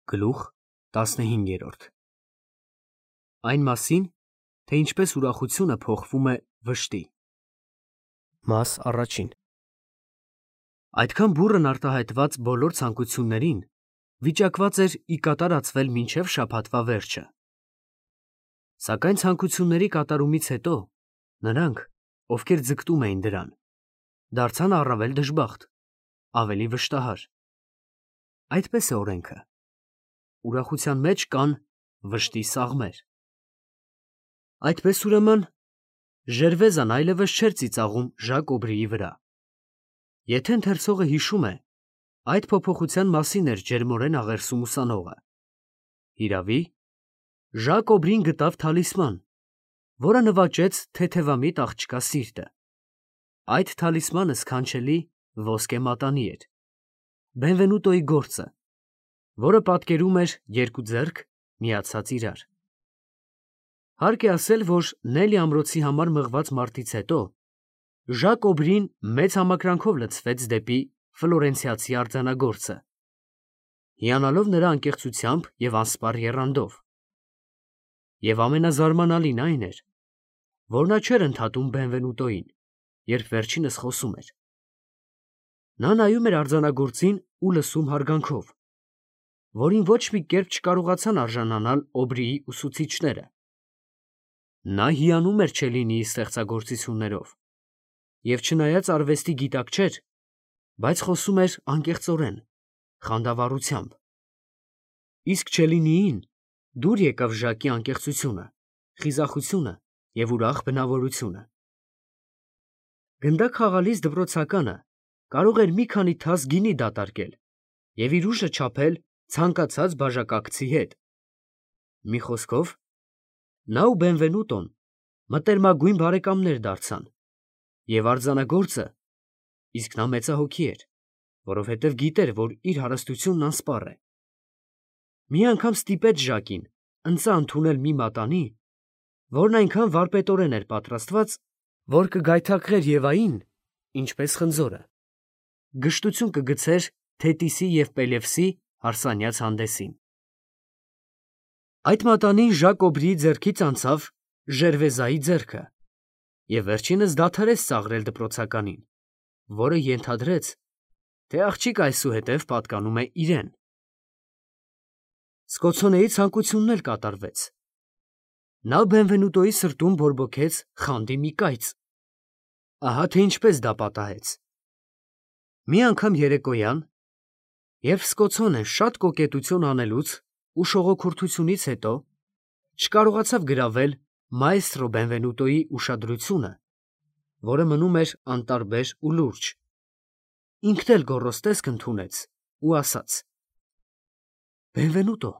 Գլուխ 15 Այն մասին, թե ինչպես ուրախությունը փոխվում է վշտի։ Մաս առաջին Այդքան բուռն արտահայտված բոլոր ցանկություններին վիճակված էր ի կատարածվել մինչև շաբաթվա վերջը։ Սակայն ցանկությունների կատարումից հետո նրանք, ովքեր ձգտում էին դրան, դարձան առավել դժբախտ, ավելի վշտահար։ Այդպես է օրենքը։ Ուրախության մեջ կան վշտի սաղմեր։ Այդպես ուրեմն Ժերվեզան այլևս չէր ծիծաղում Ժակ Օբրիի վրա։ Եթե ընթերցողը հիշում է, այդ փոփոխության մասին էր ջերմորեն աղերսում ուսանողը։ Հիրավի, Ժակ Օբրին գտավ թալիսման, որը նվաճեց թեթևամիտ աղջկա սիրտը։ Այդ թալիսմանը սքանչելի ոսկե մատանի էր, Բենվենուտոյի գործը, որը պատկերում էր երկու ձեռք միացած իրար։ Հարկ է ասել, որ Նելի ամրոցի համար մղված մարտից հետո Ժակ Օբրին մեծ համակրանքով լցվեց դեպի ֆլորենցիացի արձանագործը, հիանալով նրա անկեղծությամբ և անսպառ եռանդով։ Եվ ամենազարմանալին այն էր, որ նա չէր ընդհատում Բենվենուտոյին, երբ վերջինս խոսում էր։ Նա նայում էր արձանագործին ու լսում հարգանքով, որին ոչ մի կերպ չկարողացան արժանանալ Օբրիի ուսուցիչները։ Նա հիանում էր Չելինիի ստեղծագործություններով և չնայած արվեստի գիտակ չէր, բայց խոսում էր անկեղծորեն, խանդավառությամբ։ Իսկ Չելինիին դուր եկավ Ժակի անկեղծությունը, խիզախությունը և ուրախ բնավորությունը։ Գնդակ խաղալիս դպրոցականը կարող էր մի քանի թաս գինի դատարկել և իր ուժը չափել ցանկացած բաժակակցի հետ։ Մի խոսքով, նա ու Բենվենուտոն մտերմագույն բարեկամներ դարձան, և արձանագործը, իսկ նա մեծահոգի էր, որովհետև գիտեր, որ իր հարստությունն անսպառ է, մի անգամ ստիպեց Ժակին ընծա ընդունել մի մատանի, որն այնքան վարպետորեն էր պատրաստված, որ կգայթակղեր Եվային, ինչպես խնձորը, գժտություն կգցեր Թետիսի և Պելևսի հարսանյաց հանդեսին։ Այդ մատանին Ժակ Օբրիի ձեռքից անցավ Ժերվեզայի ձեռքը, և վերջինս դադարեց ծաղրել դպրոցականին, որը ենթադրեց, թե աղջիկը այսուհետև պատկանում է իրեն։ Սկոցոնեի ցանկությունն էլ կատարվեց։ Նա Բենվենուտոյի սրտում բորբոքեց խանդի մի կայծ։ Ահա թե ինչպես դա պատահեց։ Մի անգամ երեկոյան, երբ Սկոցոնեն շատ կոկետություն անելուց ու շողոքորթությունից հետո չկարողացավ գրավել մաեստրո Բենվենուտոյի ուշադրությունը, որը մնում էր անտարբեր ու լուրջ, ինքն էլ գոռոզ տեսք ընդունեց ու ասաց. «Բենվենուտո,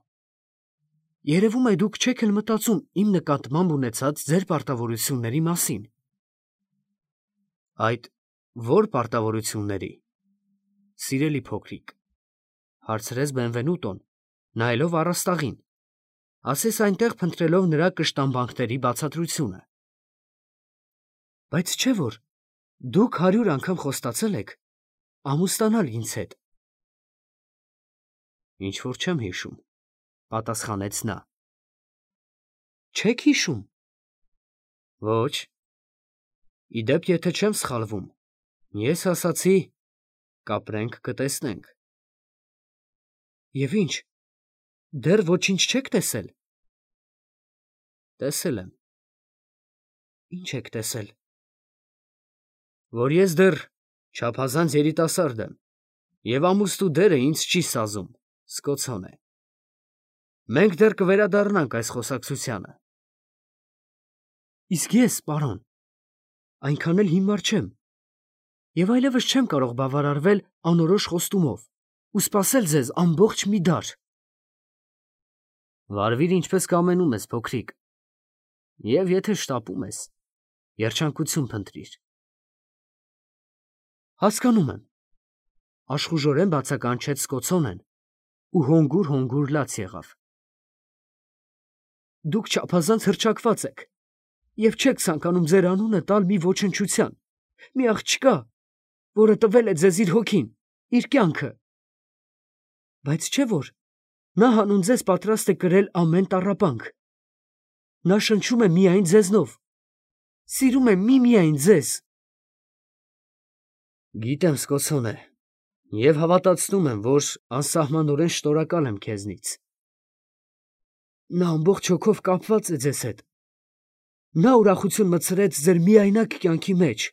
երևում է դուք չեք էլ մտածում իմ նկատմամբ ունեցած ձեր պարտավորությունների մասին»։ Այդ ո՞ր պարտավորությունների, սիրելի փոքրիկ, հարցրեց Բենվենուտոն, նայելով առաստաղին, ասես այնտեղ փնտրելով նրա կշտամբանքների բացատրությունը։ Բայց չէ՞ որ դուք 100 անգամ խոստացել եք ամուսնանալ ինձ հետ։ Ինչ որ չեմ հիշում, պատասխանեց նա։ Չեք հիշում։ Ոչ։ Ի դեպ, եթե չեմ սխալվում, ես ասացի. կապրենք, կտեսնենք։ Եվ ինչ, դեռ ոչինչ չեք տեսել։ Տեսել եմ։ Ինչ եք տեսել։ Որ ես դեռ չափազանց երիտասարդ եմ, և ամուսնու դերը ինձ չի սազում, Սկոցոնե։ Մենք դեռ կվերադառնանք այս խոսակցությանը։ Իսկ ես, պարոն, այնքան էլ հիմար չեմ, և այլևս չեմ կարող բավարարվել անորոշ խոստումով ու սպասել ձեզ ամբողջ մի դար։ Վարվիր ինչպես կամենում ես, փոքրիկ, և եթե շտապում ես, երջանկություն փնտրիր։ Հասկանում եմ, աշխուժորեն բացականչեց Սկոցոնեն ու հոնգուր լաց եղավ։ Դուք չափազանց հռչակված եք և չեք ցանկանում ձեր անունը տալ մի ոչնչության, մի աղջկա, որը տվել է ձեզ իր հոգին, իր կյանքը։ Բայց չէ՞ որ Նա հանուն ձեզ պատրաստ է կրել ամեն տառապանք։ Նա շնչում է միայն ձեզնով, սիրում է միմիայն ձեզ։ Գիտեմ, Սկոցոն է, և հավատացնում եմ, որ անսահմանորեն շնորհակալ եմ քեզնից։ Նա ամբողջ հոգով կապված է ձեզ հետ։ Նա ուրախություն մտցրեց ձեր միայնակ կյանքի մեջ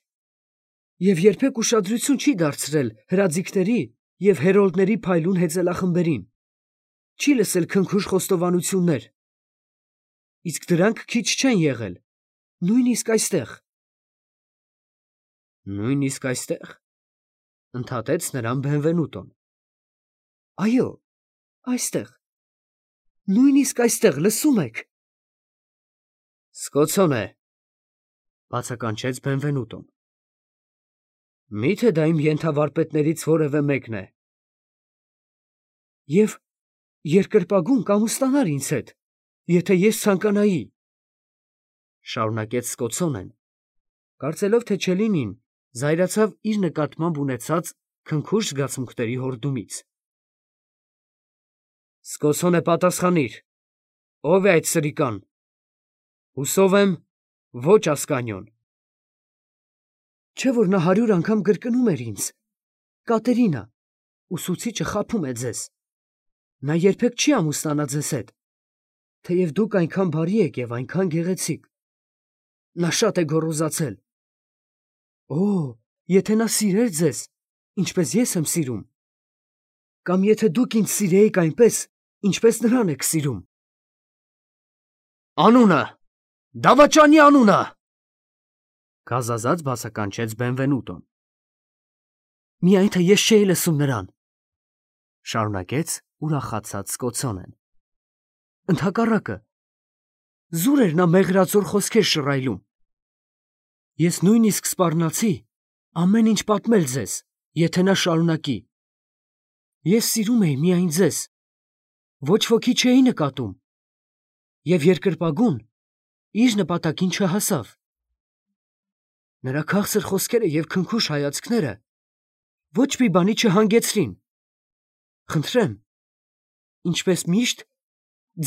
և երբեք ուշադրություն չի դարձրել հրաձիգների և հերոլդների փայլուն հեծելախմբերին, չի լսել քնքուշ խոստովանություններ, իսկ դրանք քիչ չեն եղել, նույնիսկ այստեղ։ Նույնիսկ այստեղ, ընդհատեց նրան Բենվենուտոն։ Այո, այստեղ, նույնիսկ այստեղ, լսում եք։ Սկոցոն է, բացականչեց Բենվենուտոն։ Մի՞թե դա իմ ենթավարպետներից որևէ մեկն է։ Եվ երկրպագուն կամուստանար ինձ հետ, եթե ես ցանկանայի, շարունակեց Սկոցոնեն, կարծելով, թե Չելինին զայրացավ իր նկատմամբ ունեցած քնքուշ զգացմունքների հորդումից։ Սկոցոն է, պատասխանիր, ո՞վ է այդ սրիկան։ Հուսով եմ, ոչ Ասկանիոն։ Չէ՞ որ նա 100 անգամ կրկնում էր ինձ. Կատերինա, ուսուցիչը խաբում է ձեզ։ Նա երբեք չի ամուսնանա ձեզ հետ, թեև դուք այնքան բարի եք և այնքան գեղեցիկ։ Նա շատ է գոռոզացել։ Օ, եթե նա սիրեր ձեզ, ինչպես ես եմ սիրում, կամ եթե դուք ինձ սիրեիք այնպես, ինչպես նրան եք սիրում։ Անունը, դավաճանի անունը, գազազած բացականչեց Բենվենուտոն։ Միայն թե ես չէի լսում նրան, շարունակեց ուրախացած Սկոցոնեն։ Ընդհակառակը, զուր էր նա մեղրածոր խոսքեր շռայլում։ Ես նույնիսկ սպառնացի ամեն ինչ պատմել ձեզ, եթե նա շարունակի։ Ես սիրում էի միայն ձեզ, ոչ ոքի չէի նկատում, և երկրպագուն իր նպատակին չհասավ։ Նրա քաղցր խոսքերը և քնքուշ հայացքները ոչ մի բանի չհանգեցրին։ Խնդրեմ, ինչպես միշտ,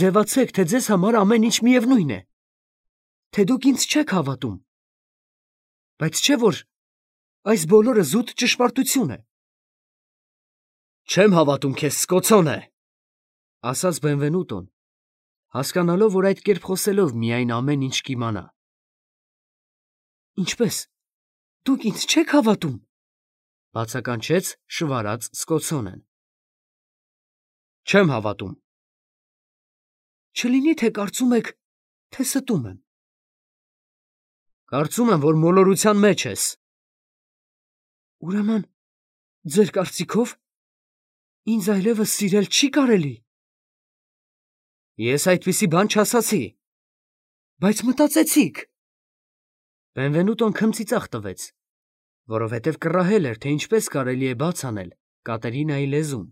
ձևացեք, թե ձեզ համար ամեն ինչ միևնույն է, թե դուք ինձ չեք հավատում, բայց չէ՞ որ այս բոլորը զուտ ճշմարտություն է։ Չեմ հավատում քեզ, Սկոցոն է, ասաց Բենվենուտոն, հասկանալով, որ այդ կերպ խոսելով միայն ամեն ինչ կիմանա։ Ինչպե՞ս, դուք ինձ չեք հավատում, բացականչեց շվարած Սկոցոնեն։ Չեմ հավատում։ Չլինի թե կարծում եք, թե ստում եմ։ Կարծում եմ, որ մոլորության մեջ ես։ Ուրեմն, ձեր կարծիքով, ինձ այլևս սիրել չի կարելի։ Ես այդպիսի բան չասացի։ Բայց մտածեցիք։ Բենվենուտոն քմծիծաղ տվեց, որովհետև կռահել էր, թե ինչպես կարելի է բաց անել Կատերինայի լեզուն։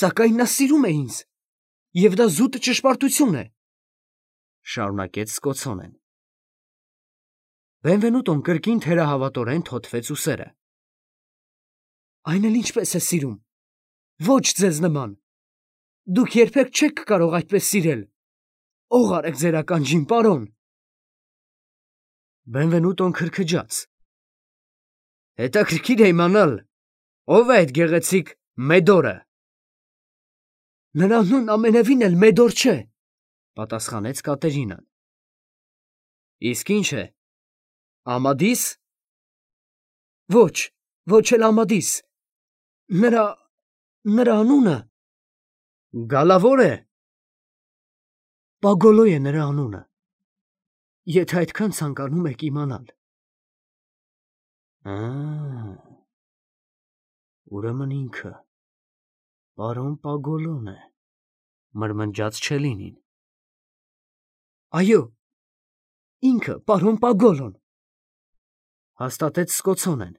Սակայն նա սիրում է ինձ, և դա զուտ ճշմարտություն է, շարունակեց Սկոցոնեն։ Բենվենուտոն կրկին թերահավատորեն թոթվեց ուսերը։ Այն էլ ինչպես է սիրում, ոչ ձեզ նման։ Դուք երբեք չեք կարող այդպես սիրել։ Ող արեք ձեր ականջին, պարոն։ Բենվենուտոն քրքջաց։ Հետաքրքիր է իմանալ, ով է այդ գեղեցիկ Մեդորը։ Նրա անունն ամենևին էլ Մեդոր չէ, պատասխանեց Կատերինան։ Իսկ ինչ է, Ամադիս։ Ոչ, ոչ էլ Ամադիս։ Նրա անունը Գալավոր է։ Պագոլո է նրա անունը, եթե այդքան ցանկանում եք իմանալ։ Ուրեմն ինքը, պարոն Պագոլոն է, մրմնջաց Չելինին։ Այո, ինքը, պարոն Պագոլոն, հաստատեց Սկոցոնեն,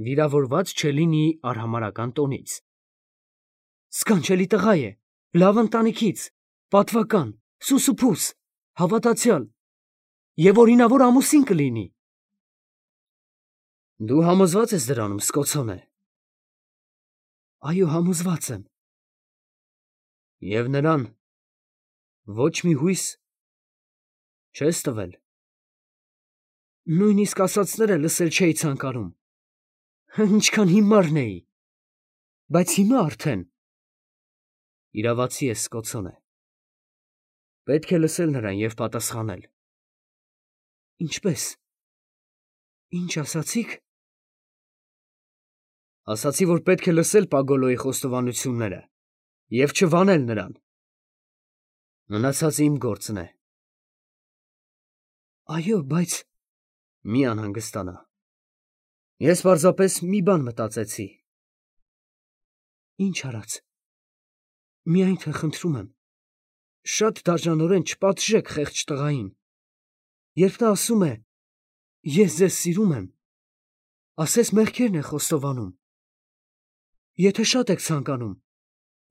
վիրավորված Չելինիի արհամարհական տոնից։ Սքանչելի տղա է, լավ ընտանիքից, պատվական, սուսուփուս, հավատացյալ և օրինավոր ամուսին կլինի։ Դու համոզված ես դրանում, Սկոցոն է։ Այո, համոզված եմ։ Եվ նրան ոչ մի հույս չես տվել։ Նույնիսկ ասածները լսել չէի ցանկանում։ Ինչքան հիմարն էի։ Բայց հիմա արդեն իրավացի ես, Սկոtsոնե։ Պետք է լսել նրան և պատասխանել։ Ինչպես։ Ինչ ասացիք։ Ասացի, որ պետք է լսել Պագոլոյի խոստովանությունները և չվանել նրան։ Մնացածը իմ գործն է։ Այո, բայց մի անհանգստանա։ Ես պարզապես մի բան մտածեցի։ Ինչ արած։ Միայն թե խնդրում եմ, շատ դաժանորեն չպատժեք խեղճ տղային։ Երբ նա ասում է. «Ես ձեզ սիրում եմ», ասես մեղքերն է խոստովանում։ Եթե շատ եք ցանկանում,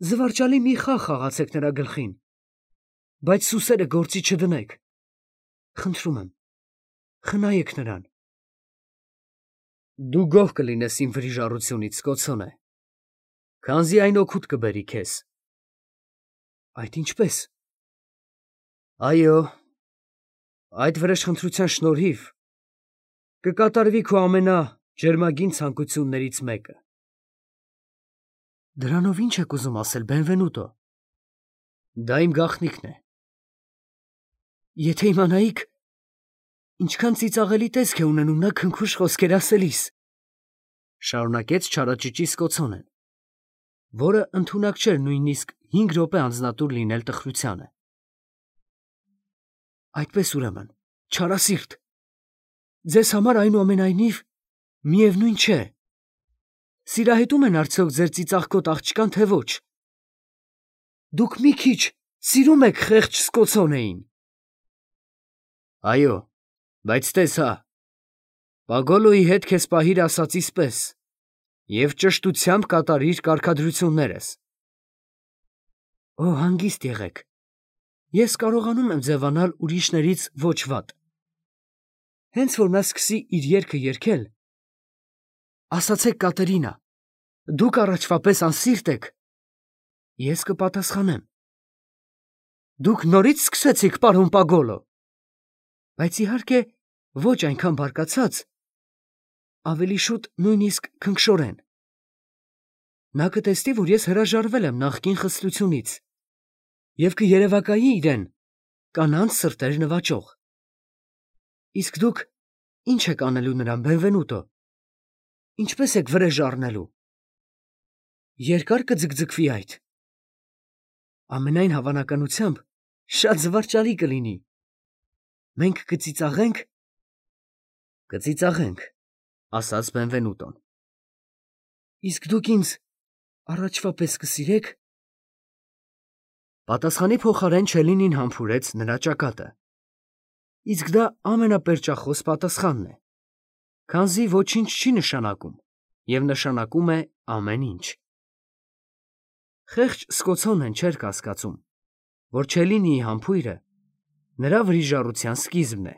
զվարճալի մի խաղ խաղացեք նրա գլխին, բայց սուսերը գործի չդնեք։ Խնդրում եմ, խնայեք նրան։ Դու գոհ կլինես իմ վրիժառությունից, Սկոtsոնե, քանզի այն օգուտ կբերի քեզ։ Այդ ինչպես։ Այո, այդ վրեժխնդրության շնորհիվ կկատարվի քո ամենաջերմագին ցանկություններից մեկը։ Դրանով ինչ եք ուզում ասել, Բենվենուտո։ Դա իմ գաղտնիքն է։ Եթե իմանայիք, ինչքան ծիծաղելի տեսք է ունենում նա քնքուշ խոսքեր ասելիս, շարունակեց չարաճճի Սկոtsոնեն, որը ընդունակ չէր նույնիսկ 5 րոպե անձնատուր լինել տխրությանը։ Այդպես ուրեմն, չարասիրտ, ձեզ համար այնուամենայնիվ միևնույն չէ։ Սիրահետում են արդյոք ձեր ծիծաղկոտ աղջկան, թե ոչ։ Դուք մի քիչ սիրում եք խեղճ Սկոtsոնեին։ Այո, բայց տես հա, Պագոլոյի հետ քեզ պահիր ասածիս պես և ճշտությամբ կատարիր կարգադրություններս։ Օ, հանգիստ եղեք, ես կարողանում եմ ձևանալ ուրիշներից ոչ վատ։ Հենց որ նա սկսի իր երգը երգել, ասացեք Կատերինա, դուք առաջվա պես անսիրտ եք, ես կպատասխանեմ։ Դուք նորից սկսեցիք, պարոն Պագոլո։ Բայց իհարկե ոչ այնքան բարկացած, ավելի շուտ նույնիսկ քնքշորեն։ Նա կտեսնի, որ ես հրաժարվել եմ նախկին խստությունից և կերևակայի իրեն կանանց սրտեր նվաճող։ Իսկ դուք ինչ եք անելու նրան, Բենվենուտո։ Ինչպես եք վրեժ առնելու։ Երկար կձգձգվի այդ։ Ամենայն հավանականությամբ շատ զվարճալի կլինի։ Մենք կծիծաղենք։ Կծիծաղենք, ասաց Բենվենուտոն։ Իսկ դուք ինձ առաջվա պես կսիրեք։ Պատասխանի փոխարեն Չելինին համբուրեց նրա ճակատը։ Իսկ դա ամենապերճախոս պատասխանն է, քանզի ոչինչ չի նշանակում և նշանակում է ամեն ինչ։ Խեղճ Սկոtsոնեն չէր կասկածում, որ Չելինիի համբույրը նրա վրիժառության սկիզբն է։